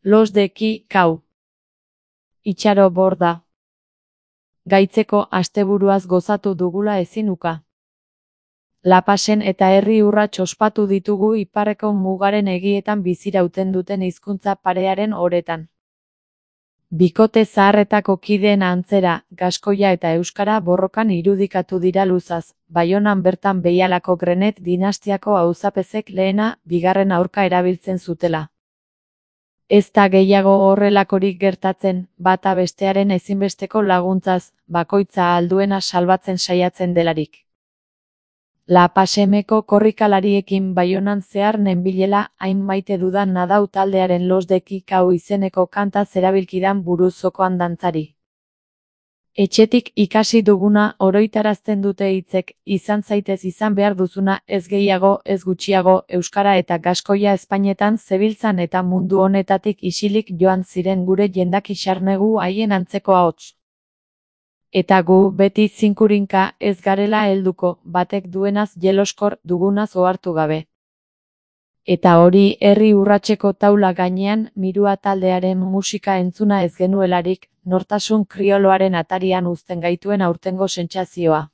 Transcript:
Los de ki, kau. Itxaro borda. Gaitzeko asteburuaz gozatu dugula ezin uka. Lapasen eta herri urrats ospatu ditugu iparreko mugaren egietan bizirauten duten hizkuntza parearen oretan. Bikote zaharretako kideen antzera, gaskoia eta euskara borrokan irudikatu dira luzaz, Baionan bertan Behialako Grenet dinastiako auzapezek lehena, bigarren aurka erabiltzen zutela. Ez da gehiago horrelakorik gertatzen, bata bestearen ezinbesteko laguntzaz, bakoitza alduena salbatzen saiatzen delarik. Lapasemeko korrikalariekin Baionan zehar nenbilela, hain maite dudan nadau taldearen Los de ki, kau izeneko kanta zerabilkidan buruzokoan dantzari. Etxetik ikasi duguna oroitarazten dute hitzek, izan zaitez izan behar duzuna, ez gehiago, ez gutxiago, euskara eta gaskoia ezpainetan zebiltzan eta mundu honetatik isilik joan ziren gure jendak xarnegu haien antzeko ahots. Eta gu, beti zinkurinka, ez garela helduko, batek duenaz jeloskor, dugunaz ohartu gabe. Eta hori, herri urratseko taula gainean, Mirua taldearen musika entzuna ez genuelarik, nortasun krioloaren atarian uzten gaituen aurtengo sentsazioa.